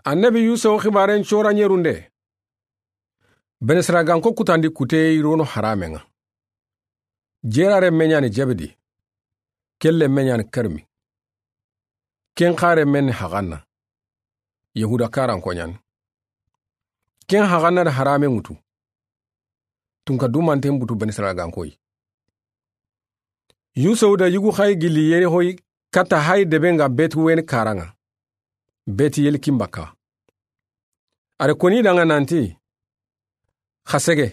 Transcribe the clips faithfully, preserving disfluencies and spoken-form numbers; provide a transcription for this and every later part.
Annabi Yusufu xibaaren cora ɲerunde. Benisiraganko kutandi kuteye yirono haramen ŋa. Jeera renme ɲa ni Jebedi. Ken lenme ɲa ni Karmi. Ken xa renme ni Haxanna. Yahuda karanko ɲa ni. Ken Haxanna da haramen ŋutu. Tunka dumanten butu Benisiraganko yi. Yusufu da yugu xayi gilli Yerixo yi, katta hayi deben ga Betuweni karan ŋa, Betiyeli kinbakka. A da koni da ŋa nanti, xa sege,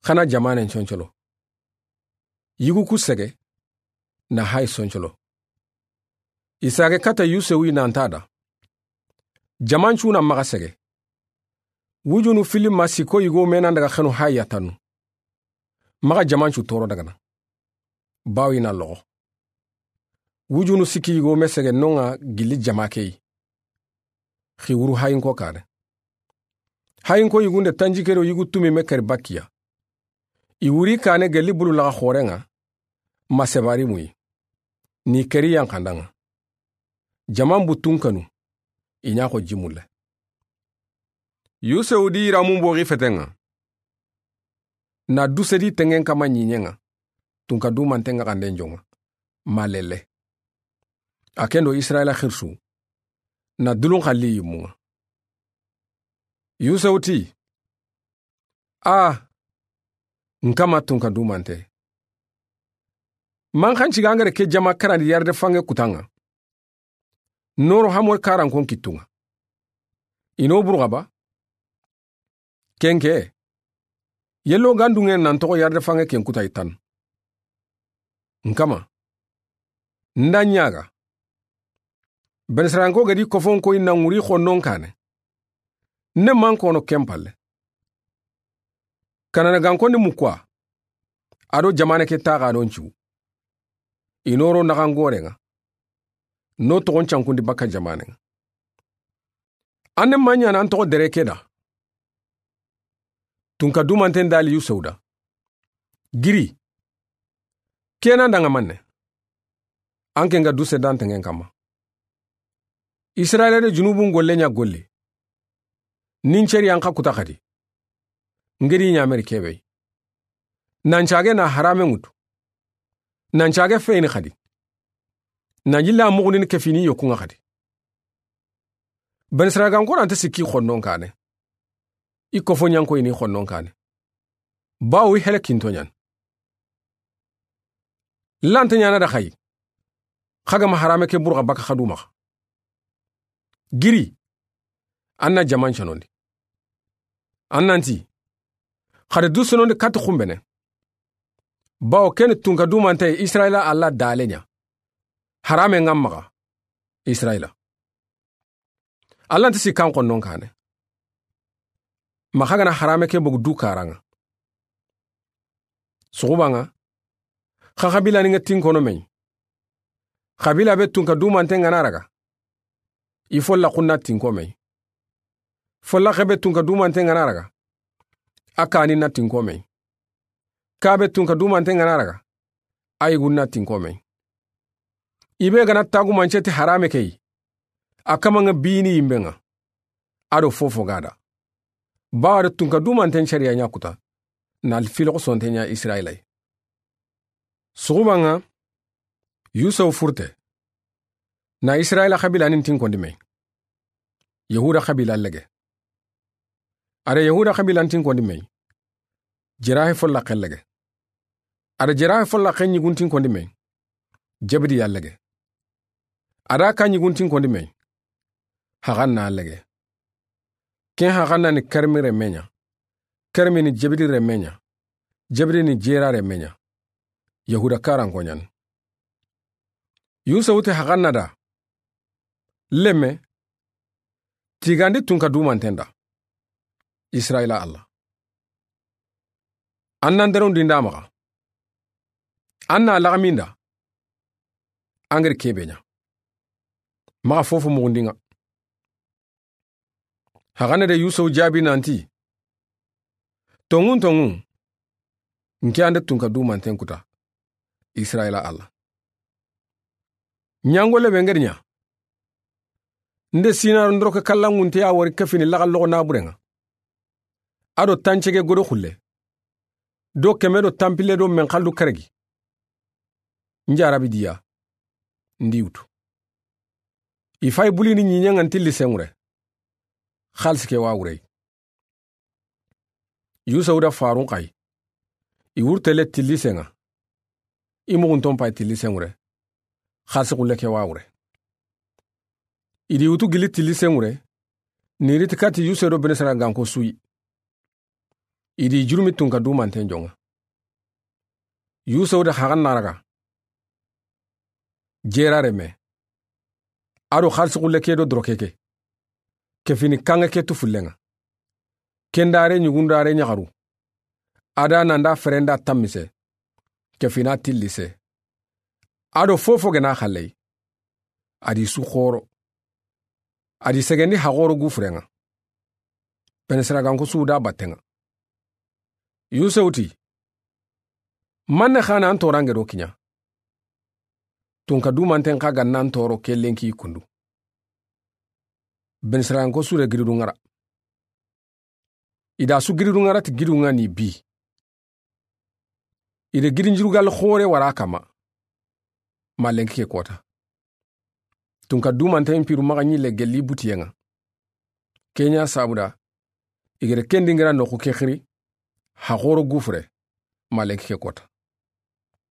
xa na jamanen concolo. Yugu ku sege, na hayi soncolo. I sage katta Yusufu yi nanta da. Jamancu na maxa sege. Wujunu fili ma siko yigo me nan daga xenu hayi yatanu. Maxa jamancu toro dagana. Bawo i na loxo. Wujunu sikki yigo me sege non ŋa gilli jama ke yi. Xi wuru hayinko kane. Hayinko yigunde tanjike do yigu tumi me keri bakkiya. I wuri kane gelli bulu laxa xoren ŋa. Ma sebari muyi. Ni keri yankandan ŋa. Jaman buttun kanu. I ɲa xo jimulle. Yusufu di yiramun boxi feten ŋa. Na duse di tengen kama ɲiɲen ŋa. Tunka dumanten ŋa xanden jon ŋa. Ma lelle. A ken do Isirayila xirisu. Na dulun xalli yimmun ŋa. Yusufu ti. A, n kama tunka dumante. Man xanci ga ŋa da ke jama karandi yarde fange kutan ŋa. Noro hamor karankon kittun ŋa. I no burxaba. Kenke. Yello gandungen nan toxo yarde fange ken kuta i tan. N kama. Nda ɲaga. Benisiraganko ga di kofon koyi na ŋuri xonnon kane. Ne man kono ken palle. Kanana gankon ni mukwa. A do jamane ke taxa don cu. I noro naxan goren ŋa. No toxon cankundi bakka jamanen ŋa. An ne ma ɲa na an toxo dere ke da. Tunka dumanten dali Yusufu da. Giri. Kena da ŋa manne. An ken ga duse dan tengen kama. Isirayila de junubun golle ɲa golli. Nin ceri an xa kuta xadi. Ngedi ɲameri kebe. Nan cage na harame ŋutu. Nan cage feyini xadi. Na jilla muxundini kefini yokun ŋa xadi. Benisiraganko nanta sikki xonnon kane. I kofo ɲanko ini xonnon kane. Bawo i hele kinto ɲan. Lanta ɲana da xayi. Xa ga ma harame ke burxa baka xadu maxa. Giri. An na jaman canondi. An nanti. Xade du sonondi katti xumbene. Bawo keni tunka dumante Isirayila Alla dale ɲa. Harame ŋa maxa. Isirayila. Alla nti sikkan xonnon kane. Maxa gana harame ke bogu du karan ŋa. Suxuban ŋa. Xa xabila ni ŋa tinkono me yi. Xabila be tunka dumante ŋa na raga. I folla xunna tinko me yi. Folla xebe tunka dumante ŋa na raga. A kani na tinko me yi. Kabe tunka dumante ŋa na raga. A yigun na tinko me yi. I be gana tagumance ti harame ke yi. A kama ŋa bini yimbe ŋa. A do fofo gada. Bawa da tunka dumanten cariya ɲa kuta. Na alfiloxo sonte ɲa Isirayila yi. Suxuban ŋa. Yusufu furte. Na Isirayila xabila nin tinkondi me yi. Yahuda xabila lege. A da Yahuda xabilan tinkondi me yi. Jerahi folla xellege. A da Jerahi folla xenɲigun tinkondi me yi. Jebedi ya lege. A da ka ɲigun tinkondi me yi. Haxanna lege. Ken Haxanna ni Karmi renme ɲa. Karmi ni Jebedi renme ɲa. Jebedi ni Jera renme ɲa. Yahuda karanko ɲani. Yusufu ti Haxanna da. Lemme. Tigandi tunka dumanten da. Isirayila Alla. An nan derondi nda maxa. An na laxaminda. An geri kebe ɲa. Maxa fofo muxundi ŋa. Haxanna de Yusufu jaabi nanti. Tonŋun tonŋun. N ke an da tunka dumanten kuta. Isirayila Alla. Ɲangolle be ngeri ɲa. N de sinaro ndoroke kallanŋunte ya wori kefini laxalloxo naburenŋa, a do tancege godo xulle, do keme do tanpille do menxallu keregi. N jarabi diya, n di wutu. I fay bulini ɲiɲenŋa n tilli senŋure. Xalisi ke wa wurey. Yusufu da farun xay. I wurtele tilli senŋa. I muxunton pay tilli senŋure. Xalisi xulle ke wa wure. I di wutu gili tilli senŋure. Ni riti kati Yusufu do Benisirayilanko suyi. I di jurumi tunka dumanten jonŋa. Yusufu da xaxan naraga. Jera reme. A do xalisi xulle ke do doroke ke. Kefini kanŋe ke tu fullenŋa. Kendare ɲugundare ɲaxaru. A da nanda ferenda tammise. Kefina tillise. A do fofo gena xalley. A di su xoro. A di segendi haxoro gufurenŋa. Benisirayilanko su da battenŋa. Yusufu ti, manne xana an torange do kiɲa. Tunka dumanten xa ganna an toro ke lenki kundu. Benisirayilanko su de giridu ŋara. I da su giridu ŋara ti gidu ŋa ni bi. I de gidin jurugal xore wara kama. Ma lenki ke kota. Tunka dumanten piru maxa ɲille gelli butiyenŋa. Keɲa sabuda. I gere kendi ŋara noxu ke xiri. Haxoro gufure. Ma lenki ke kota.